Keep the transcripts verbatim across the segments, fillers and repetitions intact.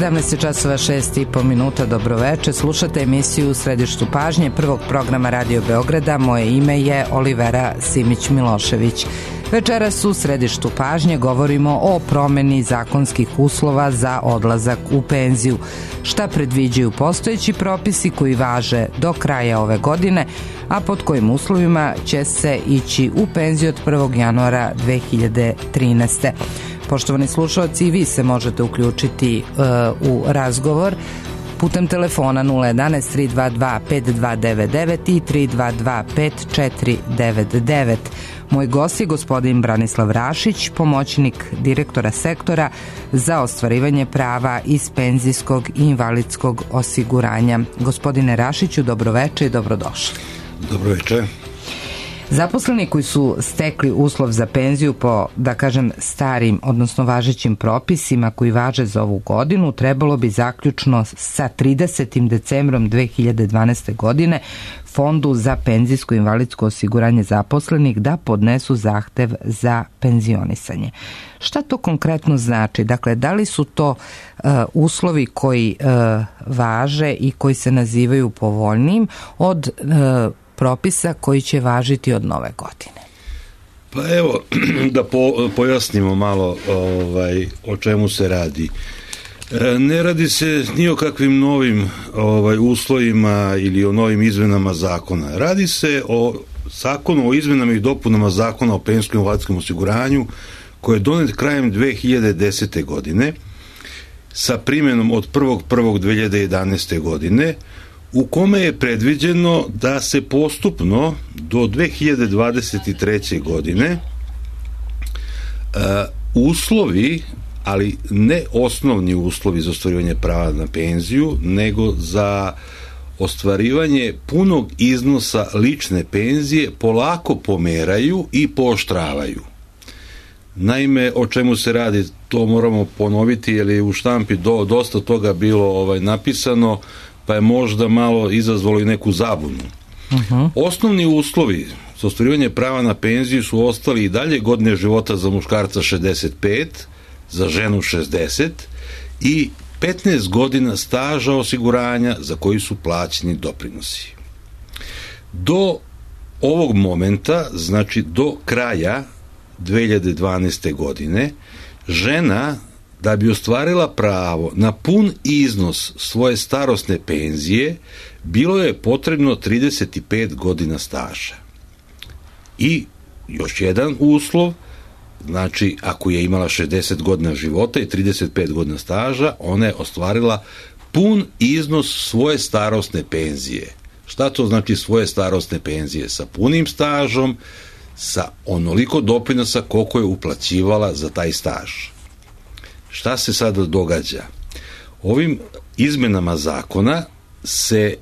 sedamnaest časova šest i po minuta, dobroveče. Slušate emisiju U središtu pažnje prvog programa Radio Beograda. Moje ime je Olivera Simić-Milošević. Večeras u središtu pažnje govorimo o promeni zakonskih uslova za odlazak u penziju. Šta predviđaju postojeći propisi koji važe do kraja ove godine, a pod kojim uslovima će se ići u penziju od prvog januara dve hiljade trinaeste. Poštovani slušalci, i vi se možete uključiti uh, u razgovor putem telefona nula jedanaest tri dva dva pet dva devet devet i tri dva dva pet četiri devet devet. Moj gost je gospodin Branislav Rašić, pomoćnik direktora sektora za ostvarivanje prava iz penzijskog i invalidskog osiguranja. Gospodine Rašiću, dobroveče i dobrodošli. Dobroveče. Zaposleni koji su stekli uslov za penziju po, da kažem, starim, odnosno važećim propisima koji važe za ovu godinu, trebalo bi zaključno sa tridesetim decembrom dve hiljade dvanaeste. godine Fondu za penzijsko i invalidsko osiguranje zaposlenih da podnesu zahtev za penzionisanje. Šta to konkretno znači? Dakle, da li su to uh, uslovi koji uh, važe i koji se nazivaju povoljnijim od uh, propisa koji će važiti od nove godine? Pa evo, da po, pojasnimo malo ovaj, o čemu se radi. E, ne radi se ni o kakvim novim ovaj, uslovima ili o novim izmenama zakona. Radi se o zakonu o izmenama i dopunama zakona o penzijskom i invalidskom osiguranju koji je donet krajem dve hiljade desete. godine sa primjenom od prvog prvog dve hiljade jedanaeste. godine, u kome je predviđeno da se postupno do dve hiljade dvadeset treće. godine uh, uslovi, ali ne osnovni uslovi za ostvarivanje prava na penziju, nego za ostvarivanje punog iznosa lične penzije polako pomeraju i pooštravaju. Naime, o čemu se radi, to moramo ponoviti, jer je u štampi do, dosta toga bilo ovaj, napisano, pa je možda malo izazvalo i neku zabunu. Uh-huh. Osnovni uslovi za ostvarivanje prava na penziju su ostali i dalje godine života za muškarca šezdeset pet, za ženu šezdeset i petnaest godina staža osiguranja za koji su plaćeni doprinosi. Do ovog momenta, znači do kraja dve hiljade dvanaeste. godine, žena da bi ostvarila pravo na pun iznos svoje starosne penzije, bilo je potrebno trideset pet godina staža. I još jedan uslov, znači ako je imala šezdeset godina života i trideset pet godina staža, ona je ostvarila pun iznos svoje starosne penzije. Šta to znači svoje starosne penzije? Sa punim stažom, sa onoliko doprinosa koliko je uplaćivala za taj staž. Šta se sada događa? Ovim izmenama zakona se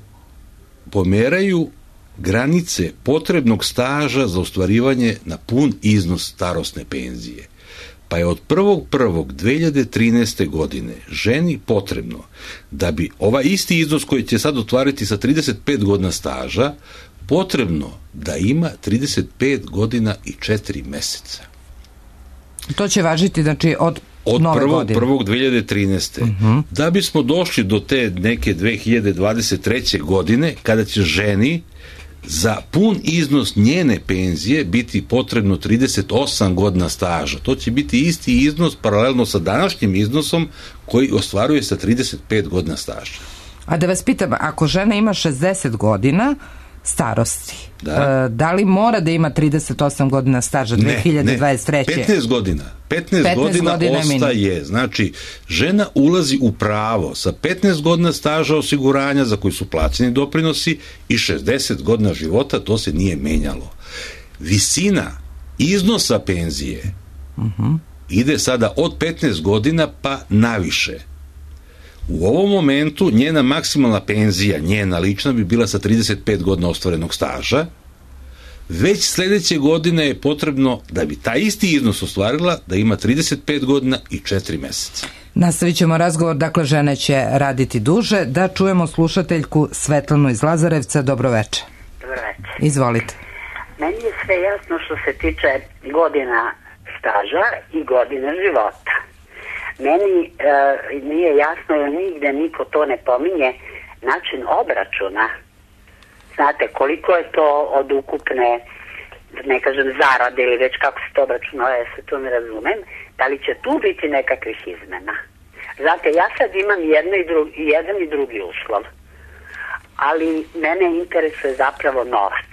pomeraju granice potrebnog staža za ostvarivanje na pun iznos starosne penzije. Pa je od prvog prvog dve hiljade trinaeste. godine ženi potrebno da bi ovaj isti iznos koji će sad ostvariti sa trideset pet godina staža, potrebno da ima trideset pet godina i četiri meseca. To će važiti, znači, od od prvog prvog dve hiljade trinaeste. Uh-huh. Da bismo došli do te neke dve hiljade dvadeset treće. godine, kada će ženi za pun iznos njene penzije biti potrebno trideset osam godina staža. To će biti isti iznos paralelno sa današnjim iznosom koji ostvaruje sa trideset pet godina staža. A da vas pitam, ako žena ima šezdeset godina starosti, da, da li mora da ima trideset osam godina staža dve hiljade dvadeset treće. Ne, petnaest godina. petnaest, petnaest godina, godina ostaje. Min. Znači, žena ulazi u pravo sa petnaest godina staža osiguranja za koji su plaćeni doprinosi i šezdeset godina života, to se nije menjalo. Visina iznosa penzije uh-huh. ide sada od petnaest godina pa naviše. U ovom momentu njena maksimalna penzija, njena lična, bi bila sa trideset pet godina ostvarenog staža. Već sledeće godine je potrebno, da bi taj isti iznos ostvarila, da ima trideset pet godina i četiri meseca. Nastavit ćemo razgovor, dakle žene će raditi duže. Da čujemo slušateljku Svetlanu iz Lazarevca. Dobroveče. Dobroveče. Izvolite. Meni je sve jasno što se tiče godina staža i godina života. Meni e, nije jasno, jer nigde niko to ne pominje, način obračuna. Znate, koliko je to od ukupne, ne kažem zarade ili već kako se to obračunava, ja se to ne razumem, da li će tu biti nekakvih izmena? Znate, ja sad imam jedno i drugi, jedan i drugi uslov, ali mene interesuje zapravo novac.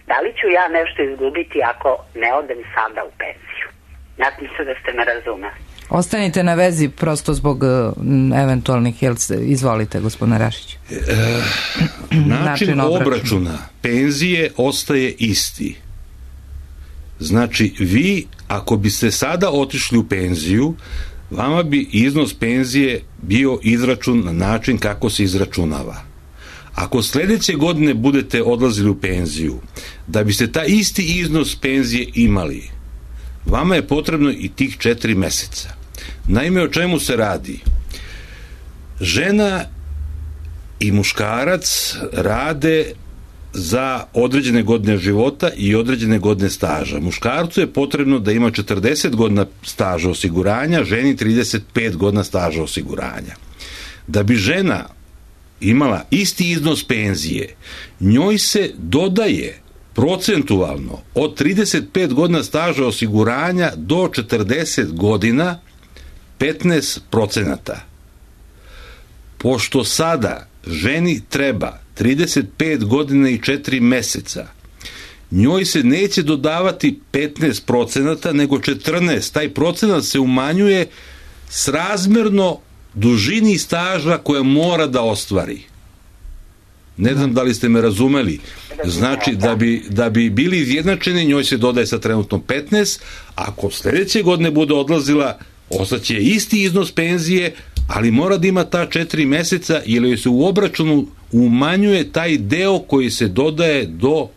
Da li ću ja nešto izgubiti ako ne odem sada u penziju? Nadam se da ste me razumeli. Ostanite na vezi prosto zbog uh, eventualnih, jel se, izvolite gospodine Rašić. E, način, način obračuna penzije ostaje isti. Znači, vi ako biste sada otišli u penziju, vama bi iznos penzije bio izračun na način kako se izračunava. Ako sledeće godine budete odlazili u penziju, da biste taj isti iznos penzije imali, vama je potrebno i tih četiri meseca. Naime, o čemu se radi? Žena i muškarac rade za određene godine života i određene godine staža. Muškarcu je potrebno da ima četrdeset godina staža osiguranja, ženi trideset pet godina staža osiguranja. Da bi žena imala isti iznos penzije, njoj se dodaje procentualno od trideset pet godina staža osiguranja do četrdeset godina petnaest procenata. Pošto sada ženi treba trideset pet godina i četiri meseca, njoj se neće dodavati petnaest procenata, nego četrnaest. Taj procenat se umanjuje srazmerno dužini staža koja mora da ostvari. Ne znam da li ste me razumeli. Znači, da bi, da bi bili izjednačeni, njoj se dodaje sa trenutno petnaest, ako sledeće godine bude odlazila, ostaće isti iznos penzije, ali mora da ima ta četiri meseca, jer joj se u obračunu umanjuje taj deo koji se dodaje do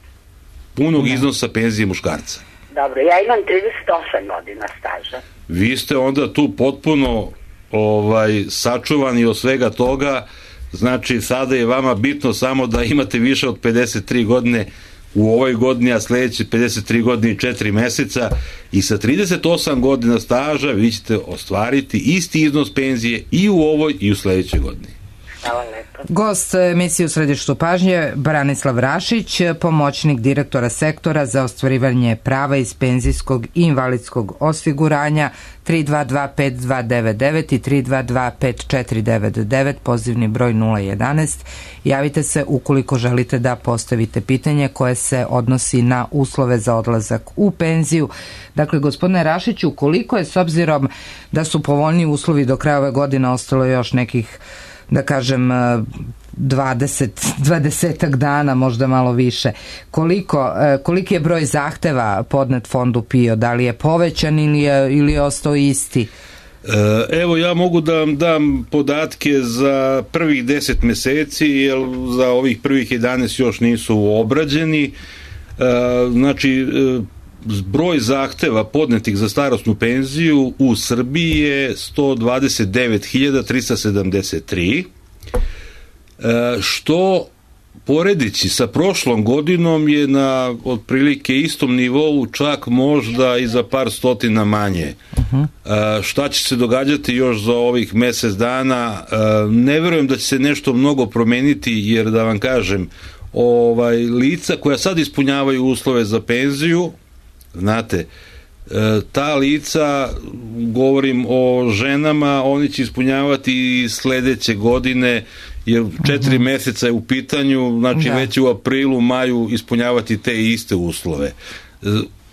punog iznosa penzije muškarca. Dobro, ja imam trideset osam godina staža. Vi ste onda tu potpuno ovaj, sačuvani od svega toga. Znači, sada je vama bitno samo da imate više od pedeset tri godine u ovoj godini, a sledeće pedeset tri godine i četiri meseca, i sa trideset osam godina staža vi ćete ostvariti isti iznos penzije i u ovoj i u sledećoj godini. Hvala lepo. Gost emisije U središtu pažnje Branislav Rašić, pomoćnik direktora sektora za ostvarivanje prava iz penzijskog i invalidskog osiguranja. Tri dva dva pet dva devet devet i tri dva dva pet četiri devet devet, pozivni broj nula jedanaest. Javite se ukoliko želite da postavite pitanje koje se odnosi na uslove za odlazak u penziju. Dakle, gospodine Rašiću, koliko je, s obzirom da su povoljni uslovi do kraja ove godine, ostalo još nekih, da kažem, dvadeset, dvadesetak dana, možda malo više. Koliko, koliki je broj zahteva podnet fondu PIO? Da li je povećan ili je, ili je ostao isti? Evo, ja mogu da vam dam podatke za prvih deset meseci, jer za ovih prvih jedanaest još nisu obrađeni. Znači, broj zahteva podnetih za starosnu penziju u Srbiji je sto dvadeset devet hiljada trista sedamdeset tri, što poredići sa prošlom godinom je na otprilike istom nivou, čak možda i za par stotina manje. Uh-huh. Šta će se događati još za ovih mesec dana? Ne verujem da će se nešto mnogo promeniti, jer da vam kažem, ovaj, lica koja sad ispunjavaju uslove za penziju, znate, ta lica, govorim o ženama, oni će ispunjavati i sledeće godine, jer četiri uh-huh. meseca je u pitanju, znači da. Već u aprilu, maju ispunjavati te iste uslove.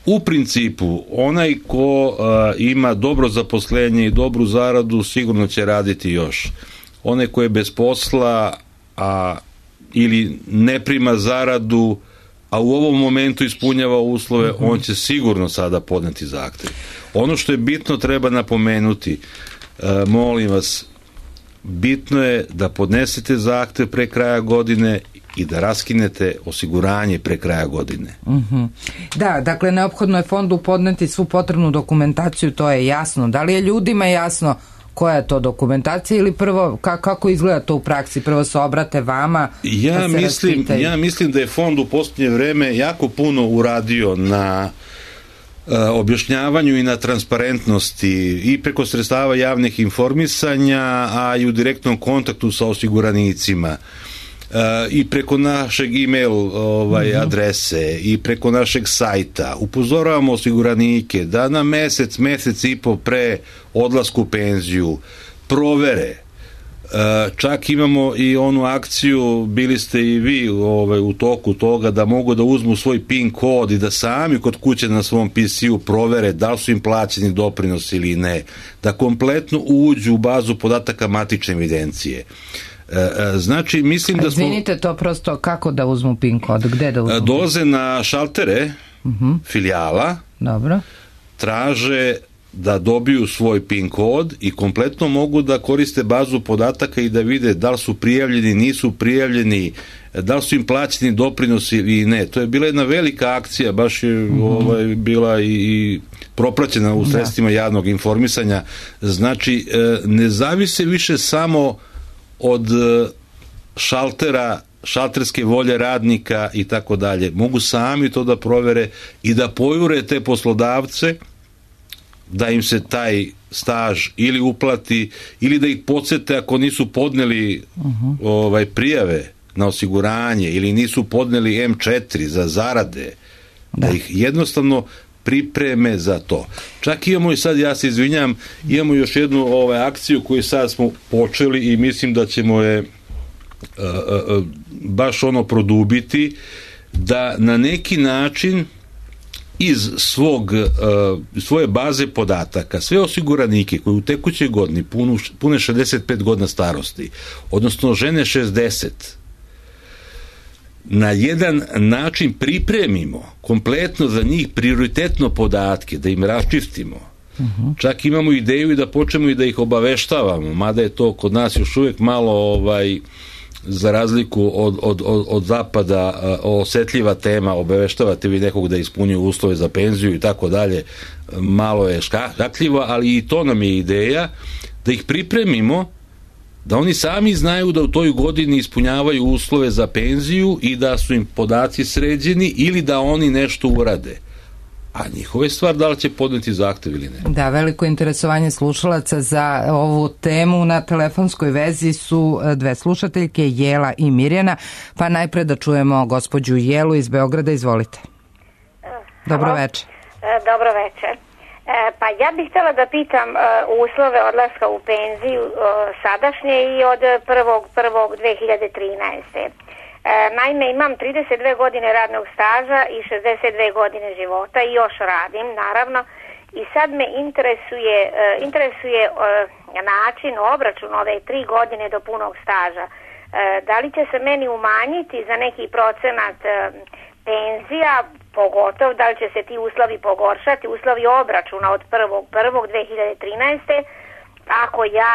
U principu, onaj ko uh, ima dobro zaposlenje i dobru zaradu, sigurno će raditi još. Onaj ko je bez posla, a, ili ne prima zaradu, a u ovom momentu ispunjava uslove, uh-huh. on će sigurno sada podneti zahtev. Ono što je bitno, treba napomenuti, uh, molim vas, bitno je da podnesete zahtev pre kraja godine i da raskinete osiguranje pre kraja godine. Uh-huh. Da, dakle, neophodno je fondu podneti svu potrebnu dokumentaciju, to je jasno. Da li je ljudima jasno koja je to dokumentacija ili prvo, ka, kako izgleda to u praksi? Prvo se obrate vama, ja da se mislim, raspitaju. Ja mislim da je fond u posljednje vreme jako puno uradio na objašnjavanju i na transparentnosti i preko sredstava javnih informisanja, a i u direktnom kontaktu sa osiguranicima i preko našeg e-mail ovaj, mm-hmm. adrese i preko našeg sajta upozoravamo osiguranike da na mesec, mesec i po pre odlasku u penziju provere. Čak imamo i onu akciju, bili ste i vi ovaj, u toku toga, da mogu da uzmu svoj PIN kod i da sami kod kuće na svom P C-u provere da li su im plaćeni doprinosi ili ne, da kompletno uđu u bazu podataka matične evidencije. Znači, mislim da smo... Izvinite, to prosto kako da uzmu PIN kod? Gde da uzmu? Dolaze na šaltere uh-huh. filijala, dobro, traže da dobiju svoj PIN kod i kompletno mogu da koriste bazu podataka i da vide da li su prijavljeni, nisu prijavljeni, da li su im plaćeni doprinosi ili ne. To je bila jedna velika akcija, baš je mm-hmm. ovaj, bila i, i propraćena u sredstvima da. javnog informisanja. Znači, ne zavise više samo od šaltera, šalterske volje radnika i tako dalje. Mogu sami to da provere i da pojure te poslodavce da im se taj staž ili uplati ili da ih podsete ako nisu podneli uh-huh. ovaj, prijave na osiguranje ili nisu podneli em četiri za zarade, da, da ih jednostavno pripreme za to. Čak imamo i sad, ja se izvinjam, imamo još jednu ovaj, akciju koju sad smo počeli i mislim da ćemo je uh, uh, baš ono produbiti, da na neki način iz svog, uh, svoje baze podataka sve osiguranike koji u tekućoj godini punu, pune šezdeset pet godina starosti, odnosno žene šezdeset, na jedan način pripremimo kompletno za njih prioritetno podatke, da im raščistimo. Uh-huh. Čak imamo ideju i da počnemo i da ih obaveštavamo, mada je to kod nas još uvijek malo ovaj, za razliku od, od, od, od zapada osetljiva tema, obaveštavate vi nekog da ispunjuju uslove za penziju i tako dalje, malo je škakljivo, ali i to nam je ideja da ih pripremimo da oni sami znaju da u toj godini ispunjavaju uslove za penziju i da su im podaci sređeni ili da oni nešto urade. A njihova je stvar da li će podneti zahtev ili ne. Da, veliko interesovanje slušalaca za ovu temu. Na telefonskoj vezi su dve slušateljke, Jela i Mirjana, pa najpre da čujemo gospođu Jelu iz Beograda. Izvolite. Dobro večer. Dobro večer. Pa ja bih htjela da pitam uslove odlaska u penziju sadašnje i od prvog prvog dve hiljade trinaeste. Naime, imam trideset dve godine radnog staža i šezdeset dve godine života i još radim, naravno, i sad me interesuje, interesuje način obračuna ove tri godine do punog staža. Da li će se meni umanjiti za neki procenat penzija, pogotovo da li će se ti uslovi pogoršati, uslovi obračuna od prvog prvog dve hiljade trinaeste. ako ja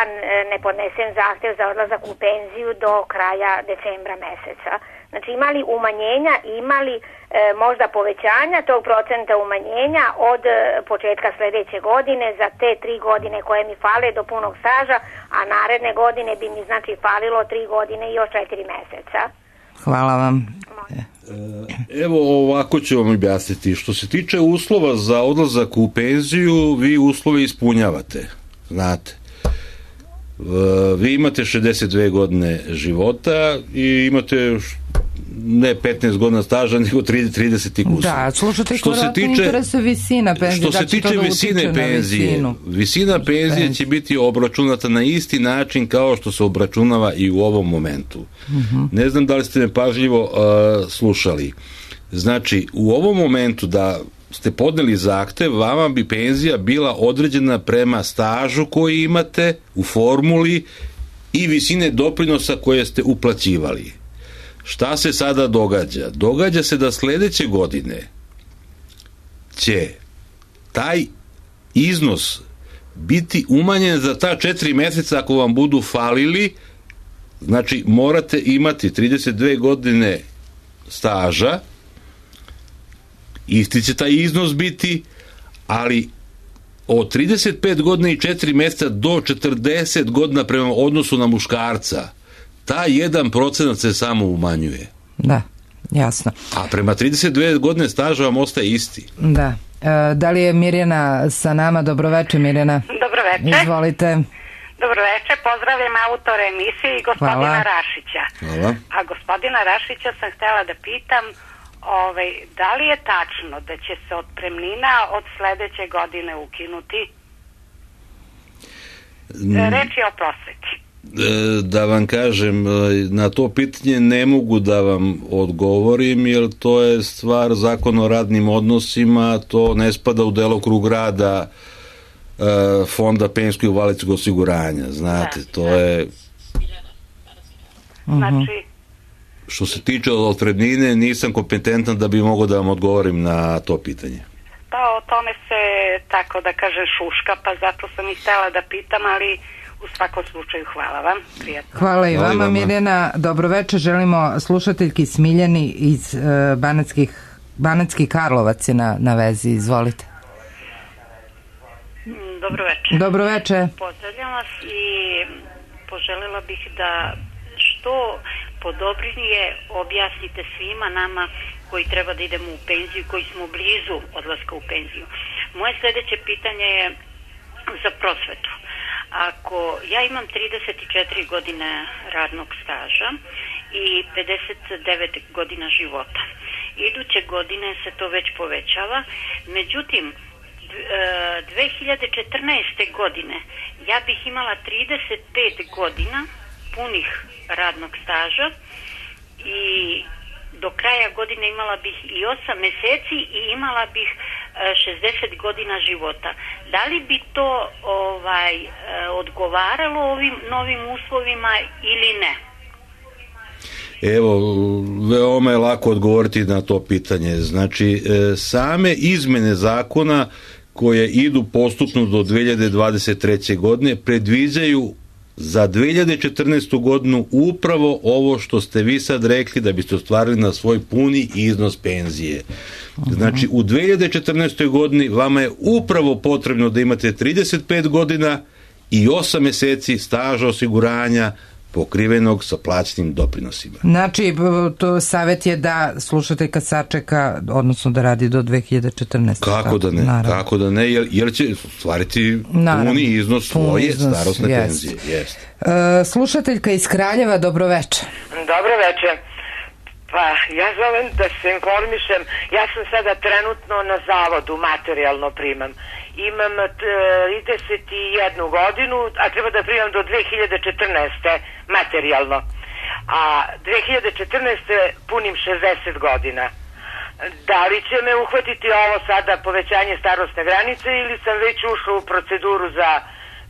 ne podnesem zahtev za odlazak u penziju do kraja decembra meseca. Znači, imali umanjenja, imali e, možda povećanja tog procenta umanjenja od e, početka sljedeće godine za te tri godine koje mi fale do punog staža, a naredne godine bi mi znači falilo tri godine i još četiri meseca. Hvala vam. Evo ovako ću vam objasniti. Što se tiče uslova za odlazak u penziju, vi uslove ispunjavate. Znate. Vi imate šezdeset dve godine života i imate ne petnaest godina staža, nego trideset i kusur. Da, slušajte, što se tiče interesa visina penzije. Što se tiče da visine penzije, visina penzije će biti obračunata na isti način kao što se obračunava i u ovom momentu. Uh-huh. Ne znam da li ste me pažljivo uh, slušali. Znači, u ovom momentu da ste podneli zahtev, vama bi penzija bila određena prema stažu koji imate u formuli i visine doprinosa koje ste uplaćivali. Šta se sada događa? Događa se da sljedeće godine će taj iznos biti umanjen za ta četiri mjeseca ako vam budu falili. Znači, morate imati trideset dve godine staža, isti će taj iznos biti, ali od trideset pet godina i četiri mjeseca do četrdeset godina prema odnosu na muškarca, taj jedan procenat se samo umanjuje. Da, jasno. A prema trideset dve godine staža vam ostaje isti. Da. Da li je Mirjana sa nama? Dobroveče, Mirjana. Dobroveče. Izvolite. Dobroveče, pozdravljam autora emisije i gospodina Hvala. Rašića. Hvala. A gospodina Rašića sam htjela da pitam, ovaj, da li je tačno da će se otpremnina od sledeće godine ukinuti? Reč je o prosveti. Da vam kažem, na to pitanje ne mogu da vam odgovorim, jer to je stvar zakona o radnim odnosima, to ne spada u delokrug rada Fonda penzijskog i invalidskog osiguranja, znate, to je... Znači... Što se tiče otpremnine, nisam kompetentan da bi mogao da vam odgovorim na to pitanje. Pa o tome se, tako da kaže, šuška, pa zato sam i htjela da pitam, ali u svakom slučaju hvala vam. Prijetno. Hvala i vama, Mirjana. Dobroveče, želimo slušateljki Smiljani iz uh, Banatskih, Banatskih Karlovac je na, na vezi, izvolite. Dobroveče. Dobroveče. Pozdravljam vas i poželjela bih da što podobnije objasnite svima nama koji treba da idemo u penziju, koji smo blizu odlaska u penziju. Moje sljedeće pitanje je za prosvetu. Ako ja imam trideset četiri godine radnog staža i pedeset devet godina života, iduće godine se to već povećava, međutim dve hiljade četrnaeste. godine ja bih imala trideset pet godina punih radnog staža i do kraja godine imala bih i osam meseci i imala bih šezdeset godina života. Da li bi to ovaj odgovaralo ovim novim uslovima ili ne? Evo, veoma je lako odgovoriti na to pitanje. Znači, same izmene zakona koje idu postupno do dve hiljade dvadeset treće. godine predviđaju za dve hiljade četrnaestu. godinu upravo ovo što ste vi sad rekli, da biste ostvarili na svoj puni iznos penzije. Znači, u dve hiljade četrnaestoj. godini vama je upravo potrebno da imate trideset pet godina i osam meseci staža osiguranja pokrivenog sa plaćenim doprinosima. Znači, to savjet je da slušateljka sačeka, odnosno da radi do dve hiljade četrnaeste. Kako da ne, naravno. Kako da ne, jer, jer će stvariti naravno, puni iznos svoje iznos, starosne jest. penzije. Jest. Uh, slušateljka iz Kraljeva, dobroveče. Dobroveče. Pa, ja zovem da se informišem. Ja sam sada trenutno na zavodu, materijalno primam. Imam trideset jednu godinu, a treba da primam do dve hiljade četrnaeste. materijalno. A dve hiljade četrnaeste. punim šezdeset godina. Da li će me uhvatiti ovo sada povećanje starosne granice ili sam već ušao u proceduru za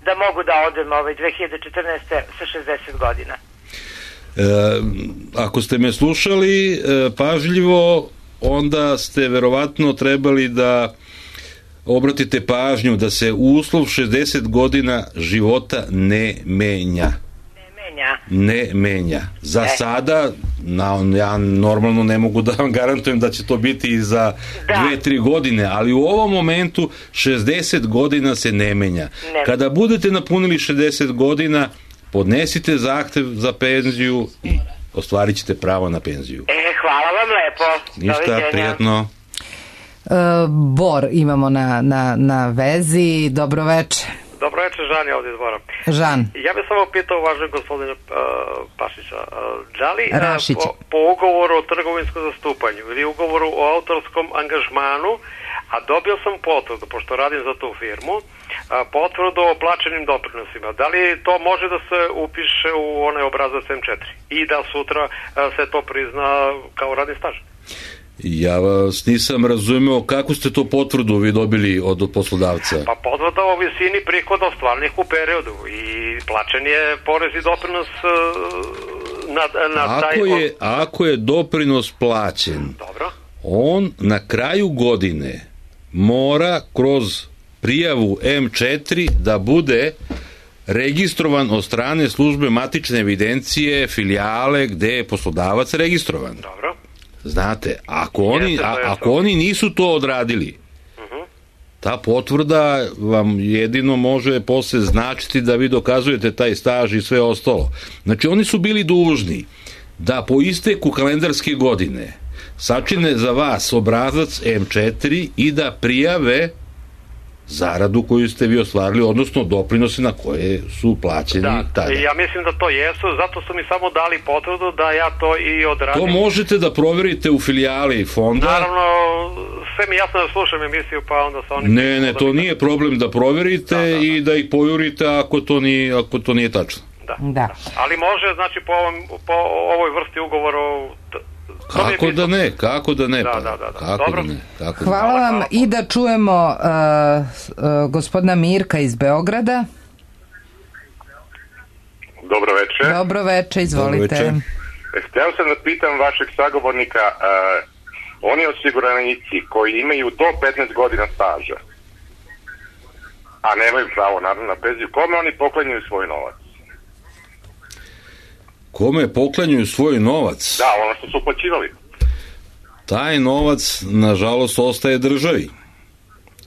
da mogu da odem ovaj dve hiljade četrnaeste. sa šezdeset godina? E, ako ste me slušali e, pažljivo, onda ste verovatno trebali da obratite pažnju da se uslov šezdeset godina života ne menja. Ne menja? Ne menja. Za e. sada, na, ja normalno ne mogu da vam garantujem da će to biti i za dve, tri godine, ali u ovom momentu šezdeset godina se ne menja. Ne. Kada budete napunili šezdeset godina, podnesite zahtev za penziju i ostvarit ćete pravo na penziju. E, hvala vam lepo. Ništa, prijatno. Uh, Bor imamo na, na, na vezi. Dobroveče. Dobroveče, Žan je ovdje iz Bora. Žan. Ja bih samo pitao važnog gospodina uh, Pašića, uh, da li uh, po, po ugovoru o trgovinskom zastupanju ili ugovoru o autorskom angažmanu, a dobio sam potvrdu, pošto radim za tu firmu, potvrdu o plaćenim doprinosima. Da li to može da se upiše u onaj obrazac em četiri i da sutra se to prizna kao radni staž? Ja vas nisam razumeo kako ste to potvrdu vi dobili od poslodavca. Pa potvrda o visini prihoda ostvarenih u periodu i plaćen je porez i doprinos na, na taj... Ako je, ako je doprinos plaćen, dobro, on na kraju godine mora kroz prijavu em četiri da bude registrovan od strane službe matične evidencije filijale gde je poslodavac registrovan. Dobro. Znate, ako oni, Jeste, a, ako oni nisu to odradili, uh-huh. ta potvrda vam jedino može posle značiti da vi dokazujete taj staž i sve ostalo. Znači, oni su bili dužni da po isteku kalendarske godine sačine za vas obrazac em četiri i da prijave zaradu koju ste vi ostvarili, odnosno doprinose na koje su plaćeni da, tada. Ja mislim da to jesu, zato su mi samo dali potvrdu da ja to i odradim. To možete da proverite u filijali fonda. Naravno, sve mi jasno da slušam emisiju, pa onda sa onim... Ne, ne, to nije problem da proverite da, da, da. i da ih pojurite ako to nije, ako to nije tačno. Da. da. Ali može, znači, po, ovom, po ovoj vrsti ugovora... Kako da ne, kako da ne, da, pa, da, da, da. kako Dobro. da ne. Kako hvala da ne. vam hvala. I da čujemo uh, uh, gospodina Mirka iz Beograda. Dobro večer. Dobro večer, izvolite. Dobro večer. Htio sam da pitam vašeg sagovornika, uh, oni osiguranici koji imaju do petnaest godina staža, a nemaju pravo naravno na penziju, kome oni poklanjaju svoj novac? Kome poklanjaju svoj novac? Da, ono što su uplaćivali. Taj novac, nažalost, ostaje državi.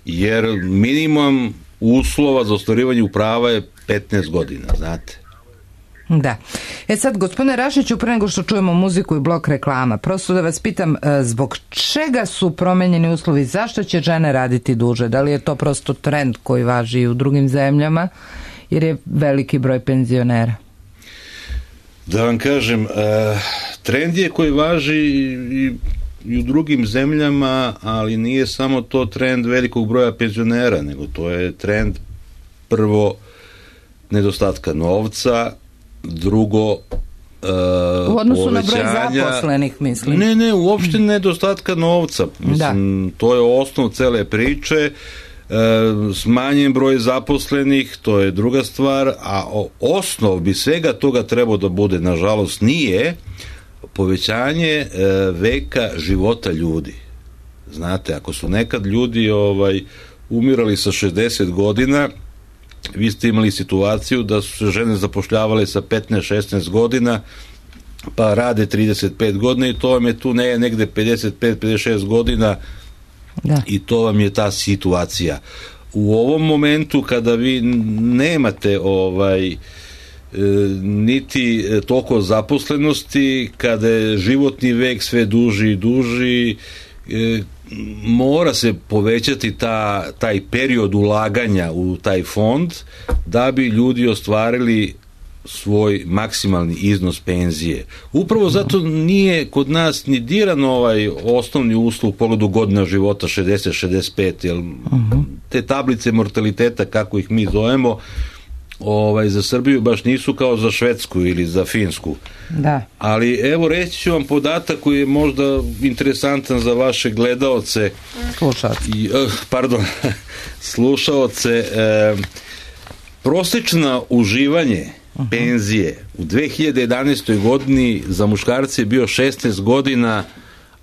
Jer minimum uslova za ostvarivanje prava je petnaest godina, znate. Da. E sad, gospodine Rašiću, pre nego što čujemo muziku i blok reklama, prosto da vas pitam, zbog čega su promenjeni uslovi? Zašto će žene raditi duže? Da li je to prosto trend koji važi i u drugim zemljama? Jer je veliki broj penzionera. Da vam kažem, trend je koji važi i, i u drugim zemljama, ali nije samo to trend velikog broja penzionera, nego to je trend prvo nedostatka novca, drugo u odnosu povećanja, na broj zaposlenih, mislim. Ne, ne, uopšte nedostatka novca. Mislim, da. To je osnov cele priče. Smanjen broj zaposlenih, to je druga stvar, a osnov bi svega toga trebao da bude, nažalost nije, povećanje veka života ljudi. Znate, ako su nekad ljudi ovaj, umirali sa šezdeset godina, vi ste imali situaciju da su se žene zapošljavale sa petnaest šesnaest godina, pa rade trideset pet godina i to vam je tu ne, negde pedeset pet pedeset šest godina. Da. I to vam je ta situacija. U ovom momentu kada vi nemate ovaj e, niti toliko zaposlenosti, kada je životni vek sve duži i duži, e, mora se povećati ta, taj period ulaganja u taj fond da bi ljudi ostvarili svoj maksimalni iznos penzije. Upravo zato nije kod nas ni diran ovaj osnovni uslov u pogledu godina života šezdeset šezdeset pet, jer uh-huh. te tablice mortaliteta, kako ih mi zovemo, ovaj, za Srbiju baš nisu kao za Švedsku ili za Finsku. Da. Ali evo reći ću vam podatak koji je možda interesantan za vaše gledaoce. Slušaoce. Pardon, slušaoce. E, prosječno uživanje penzije u dve hiljade jedanaestoj godini za muškarce je bio šesnaest godina,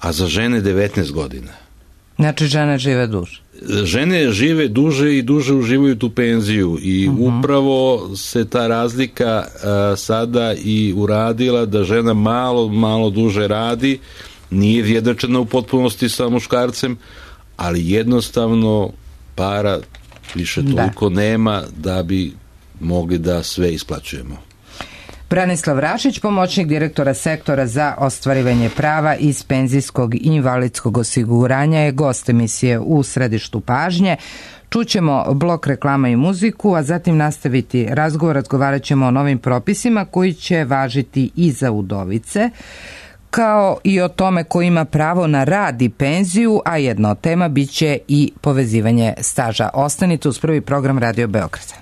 a za žene devetnaest godina. Znači žene žive duže. Žene žive duže i duže uživaju tu penziju i uh-huh. upravo se ta razlika a, sada i uradila da žena malo, malo duže radi, nije vjedačena u potpunosti sa muškarcem, ali jednostavno para više toliko da. nema da bi mogli da sve isplaćujemo. Branislav Rašić, pomoćnik direktora sektora za ostvarivanje prava iz penzijskog i invalidskog osiguranja, je gost emisije U središtu pažnje. Čućemo blok reklama i muziku, a zatim nastaviti razgovor, razgovarat ćemo o novim propisima koji će važiti i za udovice, kao i o tome ko ima pravo na rad i penziju, a jedna od tema bit će i povezivanje staža. Ostanite uz prvi program Radio Beograda.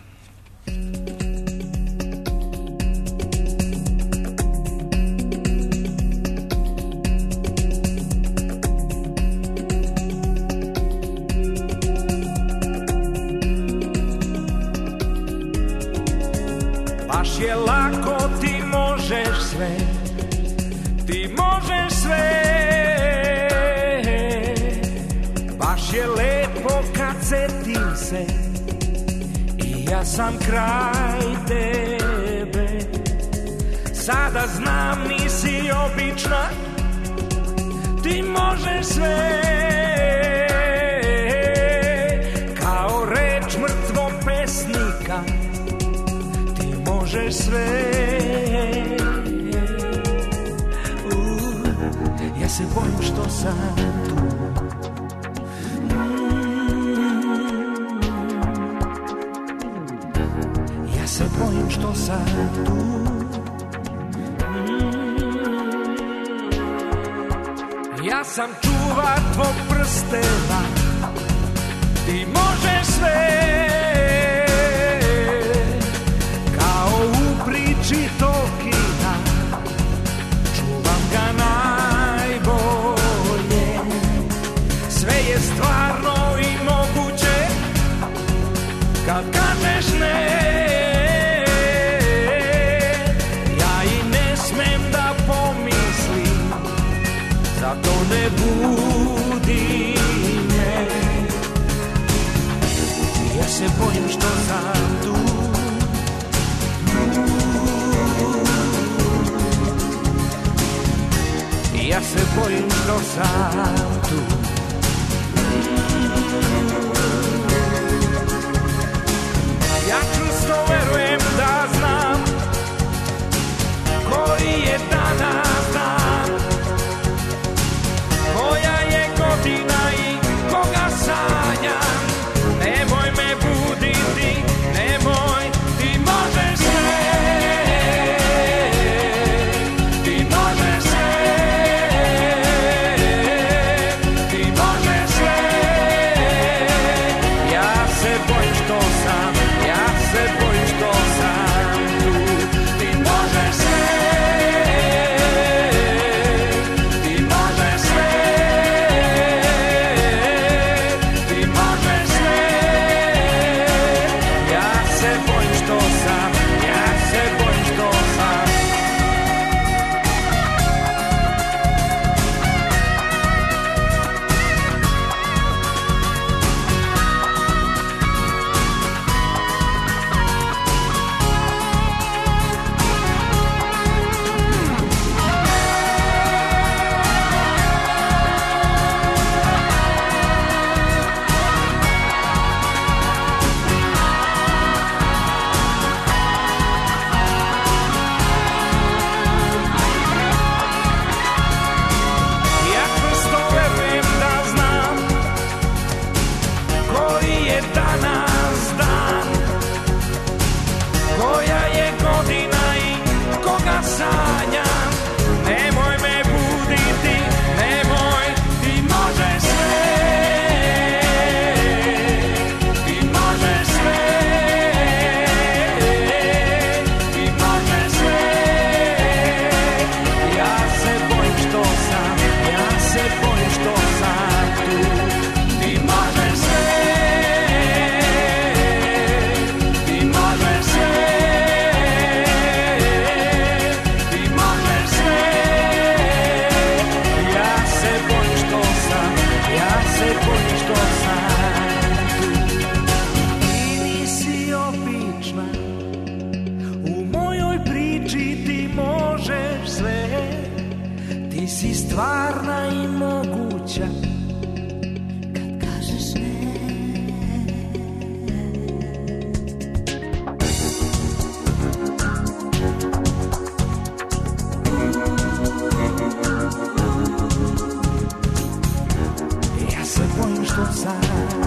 Baš je lako, ti možeš sve, ti možeš sve. Baš je lepo kad setim se i ja sam kraj tebe. Sada znam nisi obična, ti možeš sve. Kao reč mrtvog pesnika, možeš sve. Uh, Ja se bojim što sam tu. Ja se bojim što sam tu. Ja sam čuvar tvog prstena, ti možeš sve, kao u priči Tolkiena, čuvam ga najbolje. Sve je stvarno i moguće, kad kažeš ne. Ja i ne smem da pomislim, zato ne budi me. Ja se bojim što sam tu. Ja se bojim što sam tu. Ja čvrsto verujem da znam koji je danas dan, koja je godina i koga sanjam. Nemoj me buditi, nemoj, ti možeš sve, ti možeš sve, ti možeš sve. Ja se bojim što sam, ja se bojim što sam tu. Ti možeš sve, ti možeš sve, ti možeš sve. Ja se bojim što sam, ja se bojim što sam. Ja čvrsto verujem da znam koji je danas dan, koja je godina i koga sanjam. Nemoj me buditi, nemoj, ti možeš sve, ti možeš sve, ti možeš sve. Ja se bojim što sam, ja se bojim što sam tu. Ti možeš sve, ti možeš sve, ti možeš sve. Ja se bojim što sam, ja se bojim što sam tu. Ti nisi obična, u mojoj priči ti možeš sve. Ti si stvarna i moguća, kad kažeš ne. Ja se bojim što sam tu.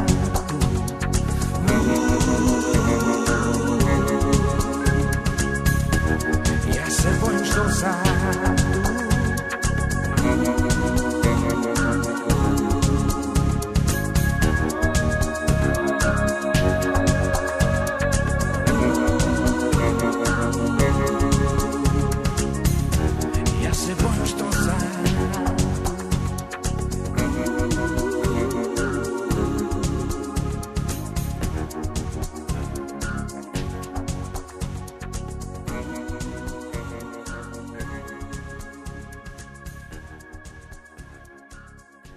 Ja se bojim što sam tu. Ja se bojim što sam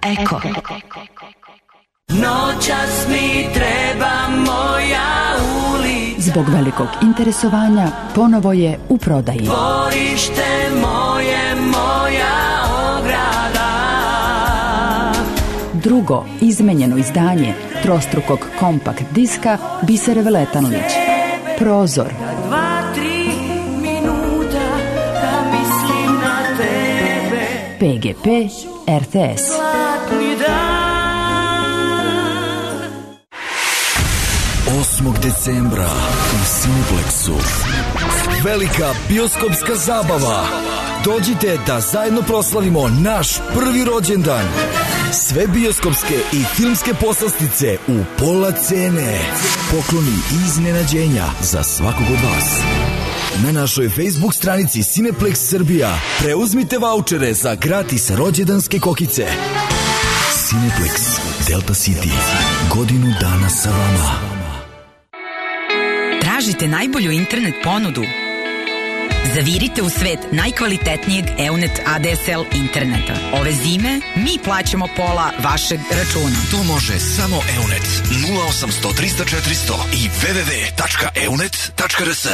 Eko. Noćas mi treba moja ulica. Zbog velikog interesovanja ponovo je u prodaji. Dvorište moje, moja ograda. Drugo izmenjeno izdanje trostrukog kompakt diska Bisere Veletanović. Prozor. Dva, tri minuta da mislim na tebe. P G P R T S. osmog decembra u Cineplexu velika bioskopska zabava. Dođite da zajedno proslavimo naš prvi rođendan. Sve bioskopske i filmske poslastice u pola cene. Pokloni i iznenađenja za svakog od vas. Na našoj Facebook stranici Cineplex Srbija preuzmite vaučere za gratis rođendanske kokice. Cineplex Delta City. Godinu dana sa vama. Tražite najbolju internet ponudu? Zavirite u svet najkvalitetnijeg Eunet A D S L interneta. Ove zime mi plaćamo pola vašeg računa. To može samo Eunet. nula osamsto trista četiristo i w w w tačka eunet tačka r s.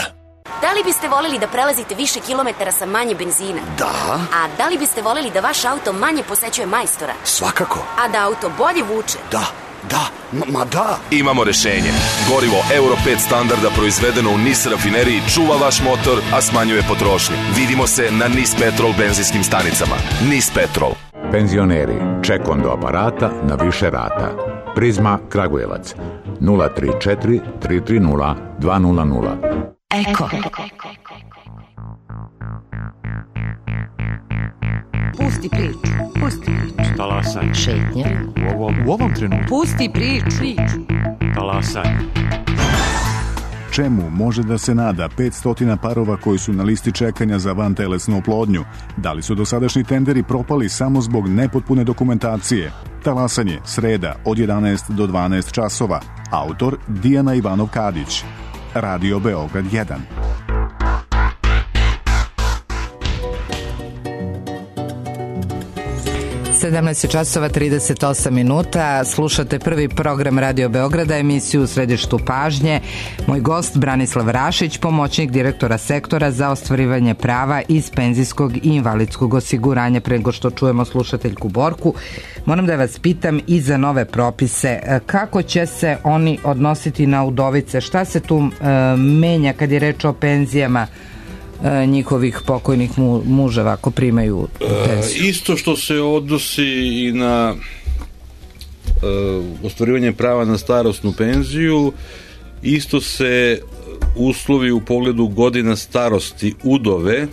Da li biste voleli da prelazite više kilometara sa manje benzina? Da. A da li biste voleli da vaš auto manje posećuje majstora? Svakako. A da auto bolje vuče? Da. Da, ma da. Imamo rešenje. Gorivo Euro pet standarda proizvedeno u N I S rafineriji čuva vaš motor, a smanjuje potrošnju. Vidimo se na N I S Petrol benzinskim stanicama. N I S Petrol. Penzioneri, ček onda aparata na više rata. Prizma Kragujevac nula tri četiri tri tri nula dva nula nula. Eko. Pusti priču, pusti priču. Talasaj. Šetnja. U ovom, u ovom trenutku. Pusti priču. Talasaj. Čemu može da se nada petsto parova koji su na listi čekanja za vantelesnu oplodnju? Da li su dosadašnji tenderi propali samo zbog nepotpune dokumentacije? Talasanje, sreda, od jedanaest do dvanaest časova. Autor Dijana Ivanov-Kadić. Radio Beograd jedan. sedamnaest časova trideset osam minuta. Slušate prvi program Radio Beograda, emisiju u središtu pažnje. Moj gost Branislav Rašić, pomoćnik direktora sektora za ostvarivanje prava iz penzijskog i invalidskog osiguranja. Pre nego što čujemo slušateljku Borku, moram da vas pitam i za nove propise. Kako će se oni odnositi na udovice? Šta se tu e, menja kad je reč o penzijama njihovih pokojnih mu, muževa ako primaju penziju? E, isto što se odnosi i na e, ostvarivanje prava na starosnu penziju, isto se uslovi u pogledu godina starosti udove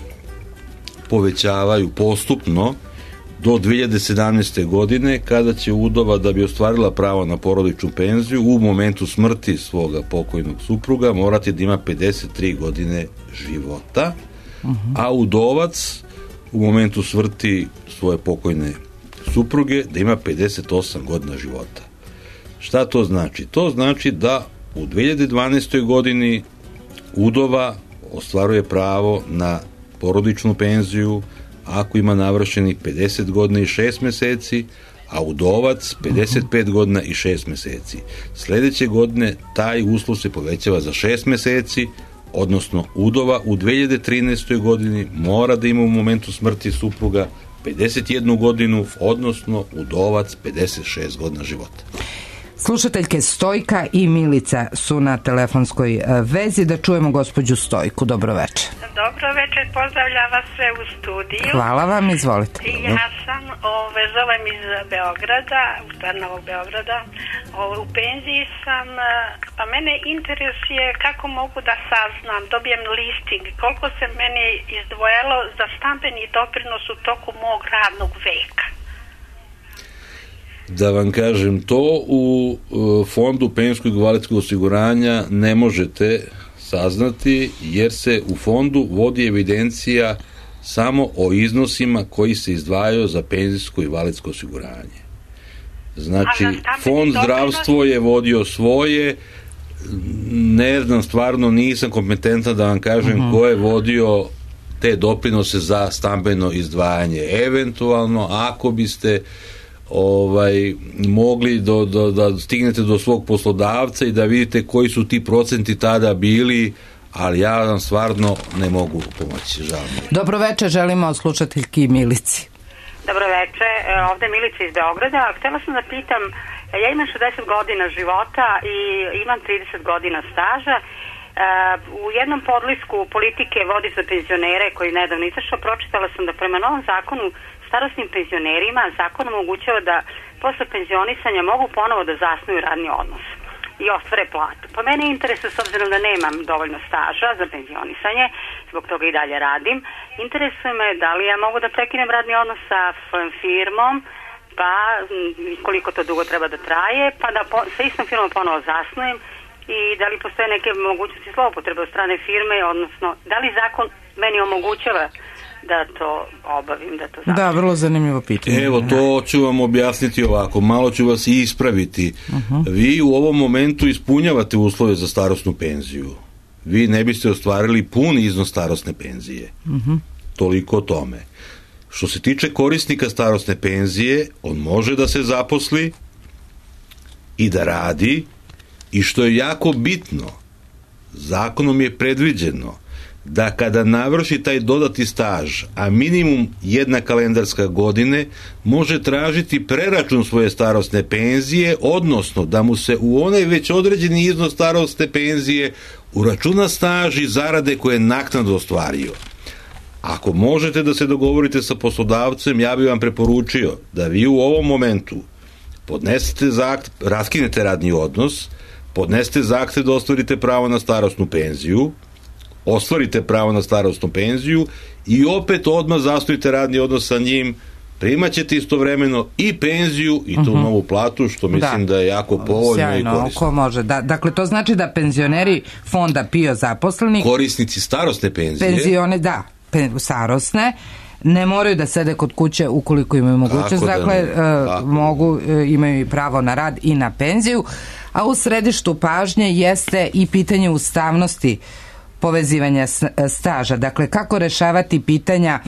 povećavaju postupno do dve hiljade sedamnaeste. godine, kada će udova, da bi ostvarila pravo na porodičnu penziju, u momentu smrti svoga pokojnog supruga morati da ima pedeset tri godine života, uh-huh. a udovac u momentu smrti svoje pokojne supruge da ima pedeset osam godina života. Šta to znači? To znači da u dve hiljade dvanaestoj. godini udova ostvaruje pravo na porodičnu penziju ako ima navršenih pedeset godina i šest meseci, a udovac pedeset pet godina i šest meseci. Sledeće godine taj uslov se povećava za šest meseci, odnosno udova u dve hiljade trinaestoj. godini mora da ima u momentu smrti supruga pedeset jednu godinu, odnosno udovac pedeset šest godina života. Slušateljke Stojka i Milica su na telefonskoj vezi. Da čujemo gospođu Stojku. Dobro večer. Dobro večer, pozdravljam vas sve u studiju. Hvala vam, izvolite. Ja sam, ove, zovem iz Beograda, Novog Beograda, ove, u penziji sam, pa mene interesuje kako mogu da saznam, dobijem listing, koliko se meni izdvojalo za stambeni doprinos u toku mog radnog veka. Da vam kažem, to u fondu penzijskog i invalidskog osiguranja ne možete saznati, jer se u fondu vodi evidencija samo o iznosima koji se izdvajaju za penzijsko i invalidsko osiguranje. Znači, fond zdravstvo je vodio svoje, ne znam, stvarno nisam kompetentan da vam kažem uh-huh. ko je vodio te doprinose za stambeno izdvajanje. Eventualno, ako biste ovaj mogli do, do, da stignete do svog poslodavca i da vidite koji su ti procenti tada bili, ali ja vam stvarno ne mogu pomoći, žao mi. Dobro večer, želimo slušateljki Milici. Dobro večer, ovde Milica iz Beograda. Htela sam da pitam, ja imam šezdeset godina života i imam trideset godina staža. U jednom podlisku politike vodi za penzionere koji nedavno izašao, pročitala sam da prema novom zakonu starosnim penzionerima zakon omogućava da posle penzionisanja mogu ponovo da zasnuju radni odnos i ostvare platu. Pa mene interesuje, s obzirom da nemam dovoljno staža za penzionisanje, zbog toga i dalje radim, interesuje me da li ja mogu da prekinem radni odnos sa svojom firmom, pa koliko to dugo treba da traje, pa da po, sa istom firmom ponovo zasnujem i da li postoje neke mogućnosti zloupotrebe od strane firme, odnosno da li zakon meni omogućava da to obavim, da to završim. Da, vrlo zanimljivo pitanje. Evo, to ću vam objasniti ovako, malo ću vas i ispraviti. Uh-huh. Vi u ovom momentu ispunjavate uslove za starosnu penziju. Vi ne biste ostvarili pun iznos starosne penzije. Uh-huh. Toliko o tome. Što se tiče korisnika starosne penzije, on može da se zaposli i da radi, i što je jako bitno, zakonom je predviđeno da kada navrši taj dodati staž, a minimum jedna kalendarska godine, može tražiti preračun svoje starosne penzije, odnosno da mu se u onaj već određeni iznos starosne penzije uračuna staž i zarade koje je naknadno ostvario. Ako možete da se dogovorite sa poslodavcem, ja bih vam preporučio da vi u ovom momentu podnesete zahtev, raskinete radni odnos, podnesete zahtev da ostvarite pravo na starosnu penziju, ostvarite pravo na starosnu penziju i opet odmah zasnujte radni odnos sa njim, primaćete istovremeno i penziju i tu uh-huh. novu platu, što mislim da, da je jako povoljno. Sjajno, i korisno. Ko može. Da, dakle, to znači da penzioneri fonda PIO zaposleni, korisnici starosne penzije, penzione, da, pen, starosne, ne moraju da sede kod kuće ukoliko imaju mogućnost, da dakle, uh, mogu, uh, imaju i pravo na rad i na penziju, a u središtu pažnje jeste i pitanje ustavnosti povezivanja staža. Dakle, kako rešavati pitanja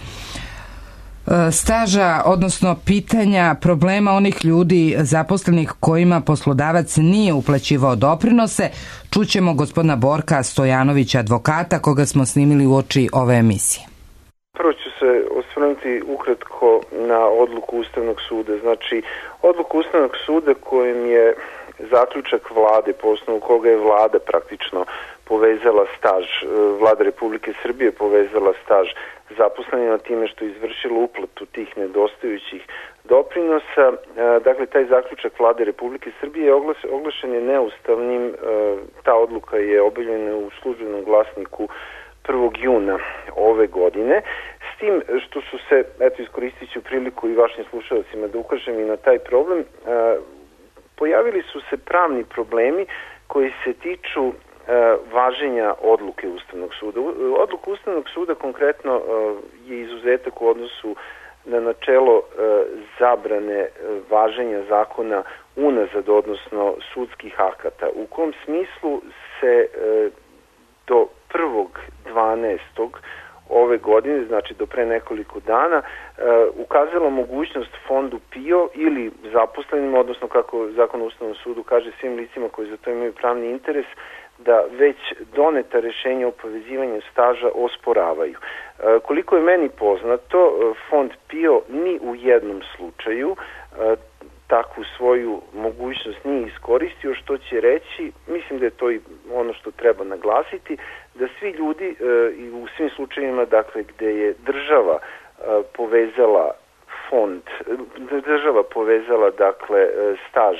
staža, odnosno pitanja problema onih ljudi zaposlenih kojima poslodavac nije uplaćivao doprinose. Čućemo gospodina Borka Stojanovića, advokata, koga smo snimili uoči ove emisije. Prvo ću se osvrnuti ukratko na odluku Ustavnog suda. Znači, odluku Ustavnog suda kojim je zaključak vlade, po osnovu koga je vlada praktično povezala staž, vlada Republike Srbije povezala staž zaposlenima time što je izvršila uplatu tih nedostajućih doprinosa. Dakle, taj zaključak vlade Republike Srbije oglašen je neustavnim. Ta odluka je objavljena u Službenom glasniku prvog juna ove godine, s tim što su se, eto iskoristit ću priliku i vašim slušalcima da ukažem i na taj problem, pojavili su se pravni problemi koji se tiču važenja odluke Ustavnog suda. Odluka Ustavnog suda konkretno je izuzetak u odnosu na načelo zabrane važenja zakona unazad, odnosno sudskih akata, u kom smislu se do prvog dvanaestog ove godine, znači do pre nekoliko dana, ukazala mogućnost fondu PIO ili zaposlenima, odnosno kako Zakon o Ustavnom sudu kaže svim licima koji za to imaju pravni interes, da već doneta rešenja o povezivanju staža osporavaju. Koliko je meni poznato, fond PIO ni u jednom slučaju takvu svoju mogućnost nije iskoristio, što će reći, mislim da je to i ono što treba naglasiti, da svi ljudi i u svim slučajevima, dakle, gde je država povezala fond, država povezala, dakle, staž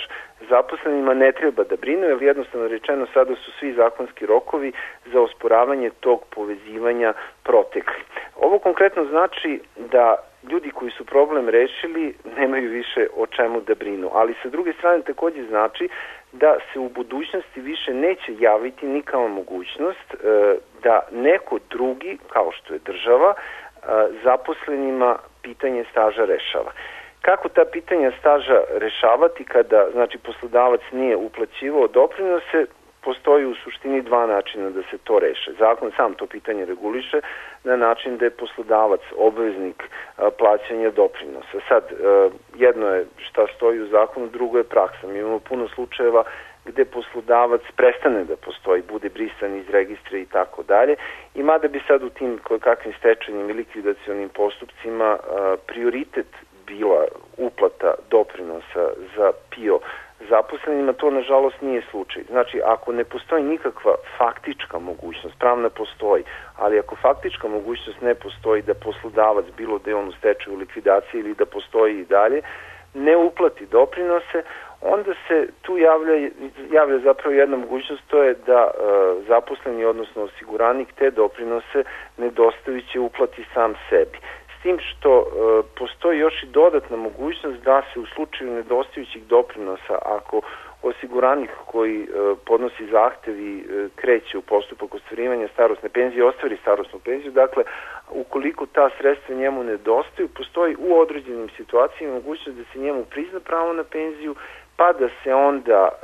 zaposlenima, ne treba da brinu, jer jednostavno rečeno sada su svi zakonski rokovi za osporavanje tog povezivanja protekli. Ovo konkretno znači da ljudi koji su problem rešili nemaju više o čemu da brinu, ali sa druge strane takođe znači da se u budućnosti više neće javiti nikakva mogućnost e, da neko drugi, kao što je država, e, zaposlenima pitanje staža rešava. Kako ta pitanja staža rešavati kada, znači, poslodavac nije uplaćivao doprinose? Postoji u suštini dva načina da se to reše. Zakon sam to pitanje reguliše na način da je poslodavac obveznik a, plaćanja doprinosa. Sad, a, jedno je šta stoji u zakonu, drugo je praksa. Mi imamo puno slučajeva gde poslodavac prestane da postoji, bude brisan iz registra i tako dalje. I mada bi sad u tim kakvim stečajnim i likvidacionim postupcima a, prioritet bila uplata doprinosa za PIO zaposlenima to nažalost nije slučaj. Znači, ako ne postoji nikakva faktička mogućnost, pravna postoji, ali ako faktička mogućnost ne postoji da poslodavac, bilo da je on u stečaju, likvidaciji ili da postoji i dalje, ne uplati doprinose, onda se tu javlja, javlja zapravo jedna mogućnost, to je da e, zaposleni, odnosno osiguranik, te doprinose nedostajuće uplati sam sebi. S tim što e, postoji još i dodatna mogućnost da se u slučaju nedostajućih doprinosa, ako osiguranik koji e, podnosi zahtev i e, kreće u postupak ostvarivanja starosne penzije, ostvari starosnu penziju, dakle, ukoliko ta sredstva njemu nedostaju, postoji u određenim situacijama mogućnost da se njemu prizna pravo na penziju, pa da se onda, e,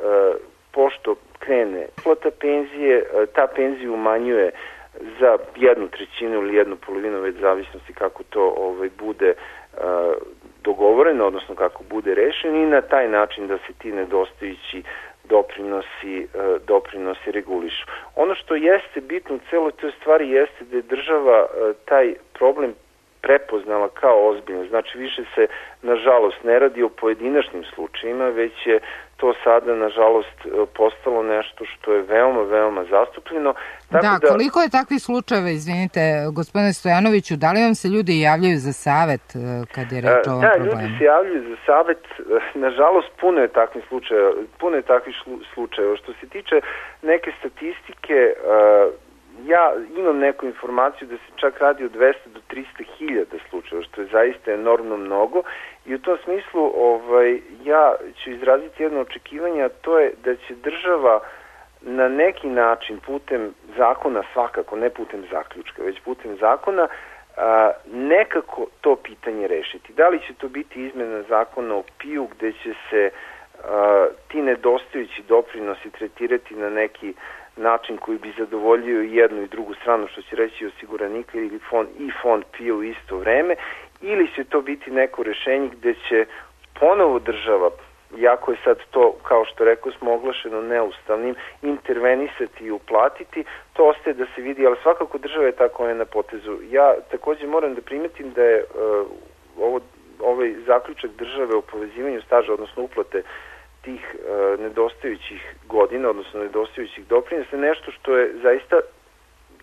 pošto krene plata penzije, e, ta penzija umanjuje za jednu trećinu ili jednu polovinu, već zavisnosti kako to ovaj, bude e, dogovoreno, odnosno kako bude rešeno, i na taj način da se ti nedostajući doprinosi, e, doprinosi regulišu. Ono što jeste bitno u celoj toj stvari jeste da je država e, taj problem prepoznala kao ozbiljno. Znači, više se, nažalost, ne radi o pojedinačnim slučajima, već je to sada, nažalost, postalo nešto što je veoma, veoma zastupljeno. Tako da, da, koliko je takvih slučajeva, izvinite, gospodine Stojanoviću, da li vam se ljudi javljaju za savet kad je reč o ovom da, problemu? Da, ljudi se javljaju za savet, nažalost, puno je takvih slučajeva, puno je takvih slučajeva. Što se tiče neke statistike, ja imam neku informaciju da se čak radi od dvesta do trista hiljada slučajeva, što je zaista enormno mnogo, i u tom smislu ovaj, ja ću izraziti jedno očekivanje, a to je da će država na neki način putem zakona, svakako ne putem zaključka, već putem zakona, a, nekako to pitanje rešiti. Da li će to biti izmena zakona o P I U gde će se a, ti nedostajući doprinosi tretirati na neki način koji bi zadovoljio i jednu i drugu stranu, što će reći osiguranika ili fond, i fond P I U isto vreme, ili će to biti neko rešenje gde će ponovo država, jako je sad to, kao što rekao smo, oglašeno neustavnim, intervenisati i uplatiti, to ostaje da se vidi, ali svakako država je tako je na potezu. Ja takođe moram da primetim da je uh, ovo, ovaj zaključak države o povezivanju staža, odnosno uplate tih uh, nedostajućih godina, odnosno nedostajućih doprinosa, nešto što je zaista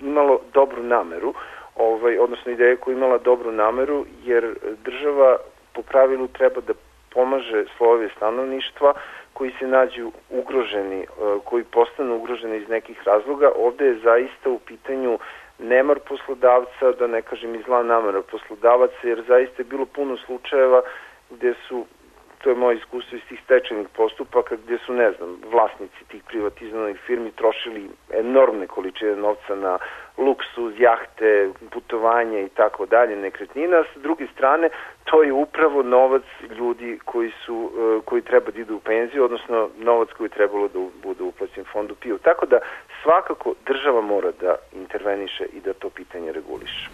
imalo dobru nameru, ovaj, odnosno ideja koja je imala dobru nameru, jer država po pravilu treba da pomaže slojeve stanovništva koji se nađu ugroženi, uh, koji postanu ugroženi iz nekih razloga. Ovde je zaista u pitanju nemar poslodavca, da ne kažem i zla namera poslodavaca, jer zaista je bilo puno slučajeva gde su, to je moje iskustvo iz tih stečajnih postupaka, gde su, ne znam, vlasnici tih privatizovanih firmi trošili enormne količine novca na luksuz, jahte, putovanja i tako dalje, nekretnina. S druge strane, to je upravo novac ljudi koji su, koji treba da idu u penziju, odnosno novac koji je trebalo da bude uplaćen fondu P I U. Tako da svakako država mora da interveniše i da to pitanje reguliše.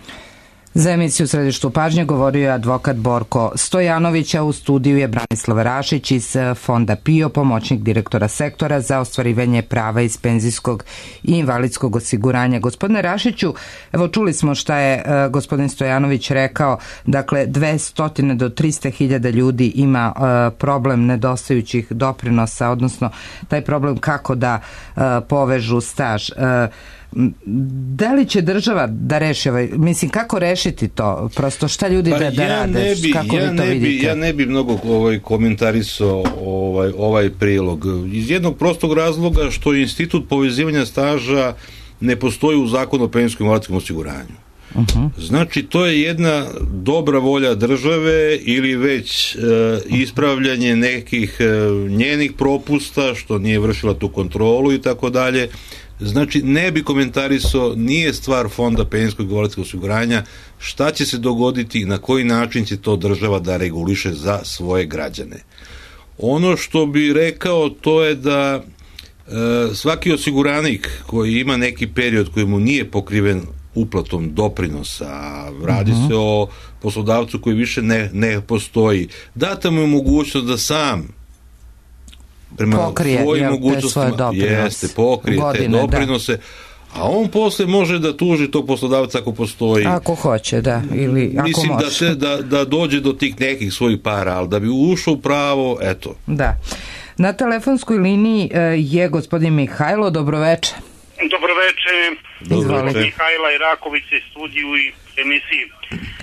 Za emisiju Središtu pažnje govorio je advokat Borko Stojanović, a u studiju je Branislav Rašić iz fonda P I O, pomoćnik direktora sektora za ostvarivanje prava iz penzijskog i invalidskog osiguranja. Gospodine Rašiću, evo čuli smo šta je uh, gospodin Stojanović rekao, dakle dvesta do trista hiljada ljudi ima uh, problem nedostajućih doprinosa, odnosno taj problem kako da uh, povežu staž. Uh, Da li će država da reši ovaj, mislim, kako rešiti to? Prosto šta ljudi pa da, da ja rade? Ne bi, kako ja vi to ne vidite? Bi, ja ne bi mnogo ovaj, komentarisao ovaj, ovaj prilog. Iz jednog prostog razloga što institut povezivanja staža ne postoji u zakonu o penzijskom i invalidskom osiguranju. Uh-huh. Znači, to je jedna dobra volja države ili već e, ispravljanje nekih e, njenih propusta, što nije vršila tu kontrolu i tako dalje. Znači, ne bi komentarisao, nije stvar fonda penzijskog i invalidskog osiguranja, šta će se dogoditi i na koji način će to država da reguliše za svoje građane. Ono što bi rekao, to je da e, svaki osiguranik koji ima neki period koji mu nije pokriven uplatom doprinosa, radi uh-huh. se o poslodavcu koji više ne, ne postoji, data mu je mogućnost da sam prema pokrije, svojim ja, mogućnostima jeste, pokrije godine, te doprinose, da. A on posle može da tuži tog poslodavca ako postoji. Ako hoće, da. Ili ako mislim može. Da, te, da, da dođe do tih nekih svojih para, ali da bi ušao u pravo, eto. Da. Na telefonskoj liniji je gospodin Mihajlo, dobroveče. Dobroveče, Izvolite. Mihajla Iraković iz studiju i emisiji.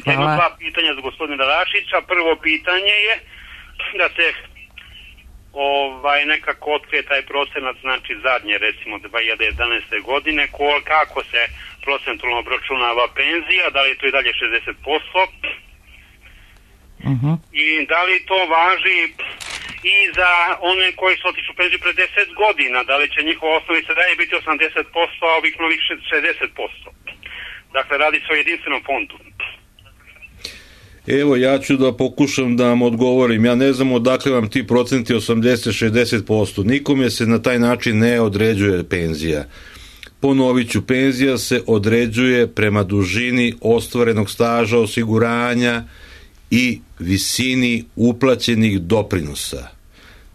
Jedno dva pitanja za gospodina Rašića. Prvo pitanje je da se ovaj, nekako otkrije taj procenat, znači zadnje recimo dve hiljade jedanaeste godine, kol, kako se procentualno obračunava penzija, da li je to i dalje šezdeset posto uh-huh. i da li to važi i za one koji su otišli u penziju pre deset godina, da li će njihova osnovica dalje biti osamdeset posto, a ovih novih šezdeset posto. Dakle, radi se o jedinstvenom fondu. Evo, ja ću da pokušam da vam odgovorim. Ja ne znam odakle vam ti procenti osamdeset do šezdeset posto. Nikome se na taj način ne određuje penzija. Ponovit ću, penzija se određuje prema dužini ostvarenog staža osiguranja i visini uplaćenih doprinosa.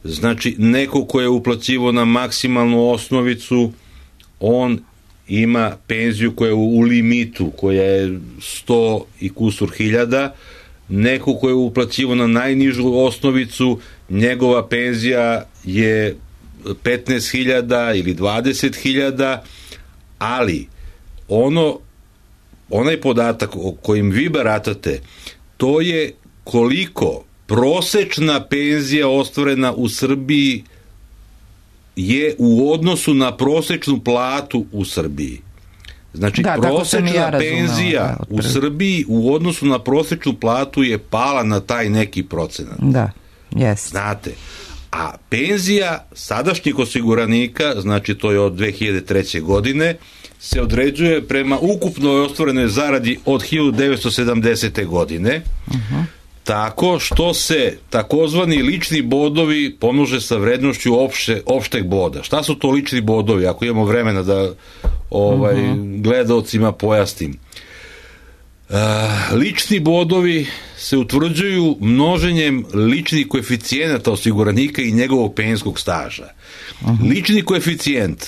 Znači, neko ko je uplaćivo na maksimalnu osnovicu, on ima penziju koja je u limitu, koja je sto i kusur hiljada. Neko ko je uplaćivo na najnižu osnovicu, njegova penzija je petnaest hiljada ili dvadeset hiljada, ali ono, onaj podatak o kojim vi baratate, to je koliko prosečna penzija ostvarena u Srbiji je u odnosu na prosečnu platu u Srbiji. Znači, da, prosečna ja penzija da, u Srbiji u odnosu na prosečnu platu je pala na taj neki procenat. Da, jest. Znate, a penzija sadašnjih osiguranika, znači to je od dve hiljade treće. godine, se određuje prema ukupnoj ostvarenoj zaradi od hiljadu devetsto sedamdesete. godine, uh-huh. tako što se takozvani lični bodovi pomnože sa vrednošću opšte, opšteg boda. Šta su to lični bodovi, ako imamo vremena da ovaj, uh-huh. gledaocima pojasnim? Uh, lični bodovi se utvrđuju množenjem ličnih koeficijenata osiguranika i njegovog penzijskog staža. Uh-huh. Lični koeficijent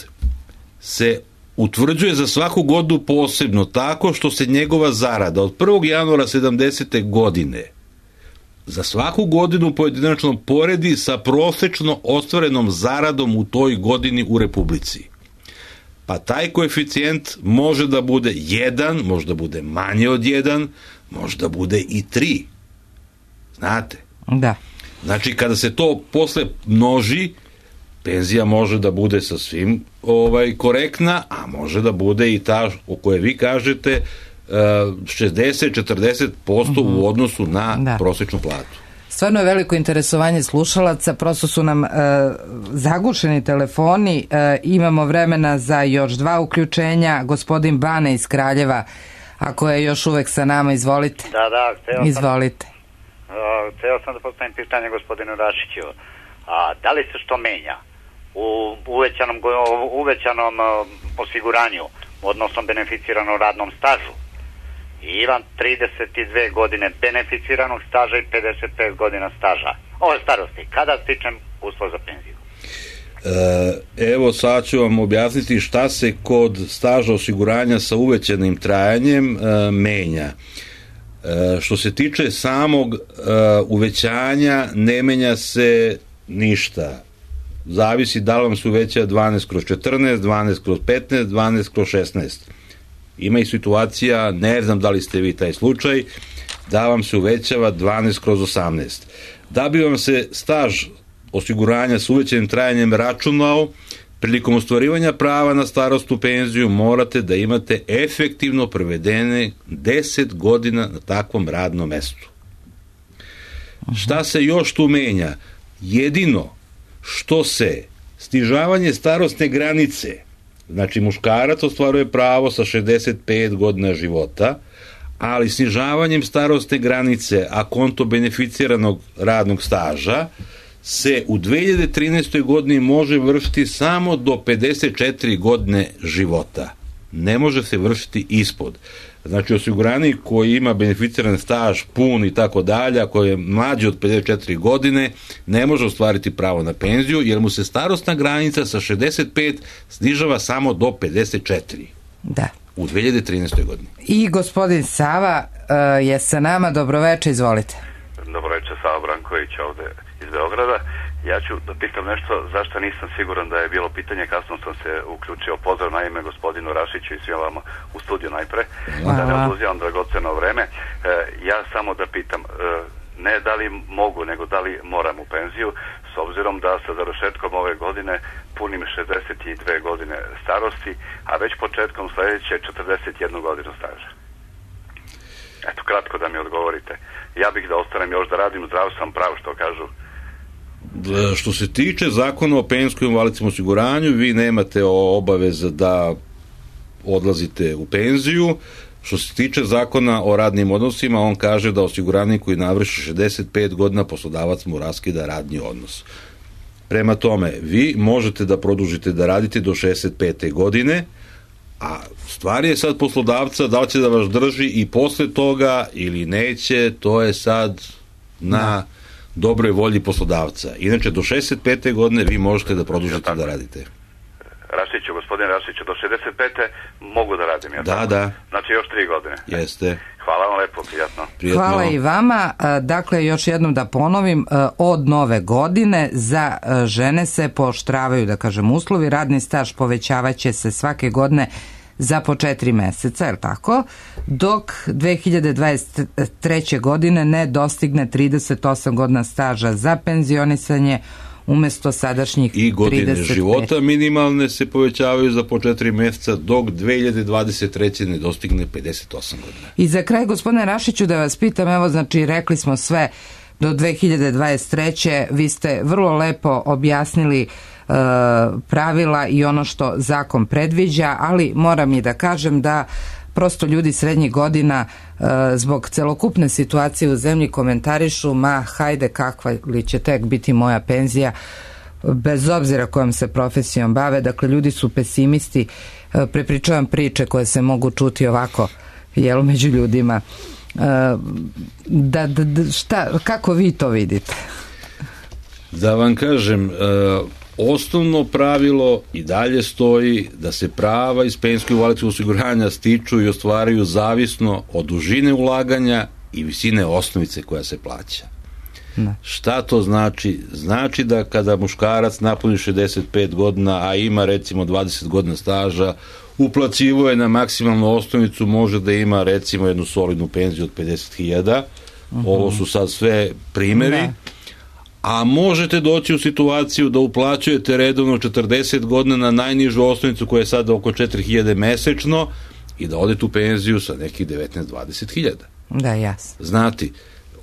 se utvrđuje za svaku godinu posebno tako što se njegova zarada od prvog januara sedamdesete. godine za svaku godinu pojedinačno poredi sa prosečno ostvarenom zaradom u toj godini u Republici. Pa taj koeficijent može da bude jedan, može da bude manje od jedan, može da bude i tri. Znate? Da. Znači, kada se to posle množi, penzija može da bude sasvim ovaj, korektna, a može da bude i ta o kojoj vi kažete šezdeset do četrdeset posto uh-huh. u odnosu na da. prosečnu platu. Stvarno je veliko interesovanje slušalaca, prosto su nam e, zagušeni telefoni, e, imamo vremena za još dva uključenja. Gospodin Bane iz Kraljeva, ako je još uvek sa nama, izvolite. Da, da, hteo izvolite. sam, uh, hteo sam da postavim pitanje gospodinu Rašiću. A, da li se što menja u uvećanom, uvećanom uh, osiguranju, odnosno beneficiranom radnom stažu? I imam trideset dve godine beneficiranog staža i pedeset pet godina staža. Ovo je starosti. Kada stičem uslov za penziju? E, evo sad ću vam objasniti šta se kod staža osiguranja sa uvećanim trajanjem e, menja. E, što se tiče samog e, uvećanja, ne menja se ništa. Zavisi da li vam se uveća dvanaest kroz četrnaest, dvanaest kroz petnaest, dvanaest kroz šesnaest. Ima i situacija, ne znam da li ste vi taj slučaj, da vam se uvećava dvanaest kroz osamnaest. Da bi vam se staž osiguranja s uvećanim trajanjem računao, prilikom ostvarivanja prava na starosnu penziju morate da imate efektivno provedene deset godina na takvom radnom mestu. Šta se još tu menja? Jedino što se snižavanje starosne granice, znači muškarac ostvaruje pravo sa šezdeset pet godina života, ali snižavanjem starosne granice a konto beneficiranog radnog staža se u dve hiljade trinaestoj. godini može vršiti samo do pedeset četiri godine života. Ne može se vršiti ispod. Znači osiguranik koji ima beneficiran staž pun i tako dalje, koji je mlađi od pedeset četiri godine, ne može ostvariti pravo na penziju jer mu se starosna granica sa šezdeset pet snižava samo do pedeset četiri. Da. U dve hiljade trinaestoj. godini. I gospodin Sava uh, je sa nama. Dobroveče, izvolite. Dobroveče, Sava Branković ovde iz Beograda. Ja ću da pitam nešto zašto nisam siguran da je bilo pitanje, kasno sam se uključio. Pozdrav na ime gospodinu Rašiću i svima vama u studiju najpre, da ne oduzimam dragoceno vreme. E, ja samo da pitam, e, ne da li mogu, nego da li moram u penziju, s obzirom da sa završetkom ove godine punim šezdeset dve godine starosti, a već početkom sledeće četrdeset jednu godinu staža. Eto, kratko da mi odgovorite. Ja bih da ostanem još da radim, zdrav sam, prav što kažu. Što se tiče zakona o penzijskom invalidskom osiguranju, vi nemate obaveza da odlazite u penziju. Što se tiče zakona o radnim odnosima, on kaže da osiguranik koji navrši šezdeset pet godina poslodavac mu raskida radni odnos. Prema tome, vi možete da produžite da radite do šezdeset pete godine, a stvar je sad poslodavca da li će da vas drži i posle toga ili neće, to je sad na dobroj volji poslodavca. Inače, do šezdeset pete godine vi možete da produžite da radite. Rašiću, gospodin Rašiću, do šezdeset pete mogu da radim, ja da, tako? Da. Znači još tri godine. Jeste. Hvala vam lepo, prijatno. Prijatno. Hvala i vama. Dakle, još jednom da ponovim, od nove godine za žene se pooštravaju, da kažem, uslovi. Radni staž povećavaće se svake godine za po četiri meseca, je li tako? Dok dve hiljade dvadeset treće godine ne dostigne trideset osam godina staža za penzionisanje umesto sadašnjih i godine trideset pet. Života minimalne se povećavaju za po četiri meseca dok dve hiljade dvadeset treće ne dostigne pedeset osam godina. I za kraj, gospodine Rašiću, da vas pitam, evo, znači, rekli smo sve do dve hiljade dvadeset treće. Vi ste vrlo lepo objasnili uh, pravila i ono što zakon predviđa, ali moram i da kažem da prosto ljudi srednjih godina uh, zbog celokupne situacije u zemlji komentarišu, ma hajde, kakva li će tek biti moja penzija, bez obzira kojom se profesijom bave. Dakle, ljudi su pesimisti, uh, prepričavam priče koje se mogu čuti ovako, jel, među ljudima. Uh, da, da, da, šta, kako vi to vidite? Da vam kažem, uh, osnovno pravilo i dalje stoji da se prava iz penzijskog invalidskog osiguranja stiču i ostvaraju zavisno od dužine ulaganja i visine osnovice koja se plaća. Ne. Šta to znači? Znači da kada muškarac napuni šezdeset pet godina, a ima recimo dvadeset godina staža, uplaćivo je na maksimalnu osnovicu, može da ima recimo jednu solidnu penziju od pedeset hiljada. Uh-huh. Ovo su sad sve primeri. Ne. A možete doći u situaciju da uplaćujete redovno četrdeset godina na najnižu osnovicu koja je sada oko četiri hiljade mesečno i da odete u penziju sa nekih devetnaest do dvadeset hiljada. Da, jasno. Znati,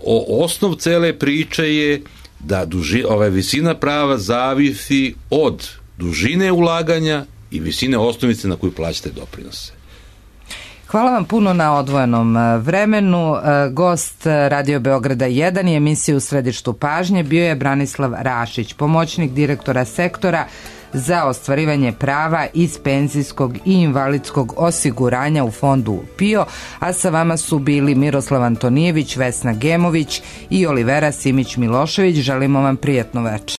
o, osnov cele priče je da duži, ova visina prava zavisi od dužine ulaganja i visine osnovice na koju plaćate doprinose. Hvala vam puno na odvojenom vremenu. Gost Radio Beograda jedan i emisije U središtu pažnje bio je Branislav Rašić, pomoćnik direktora sektora za ostvarivanje prava iz penzijskog i invalidskog osiguranja u fondu P I O, a sa vama su bili Miroslav Antonijević, Vesna Gemović i Olivera Simić Milošević. Želimo vam prijatno večer.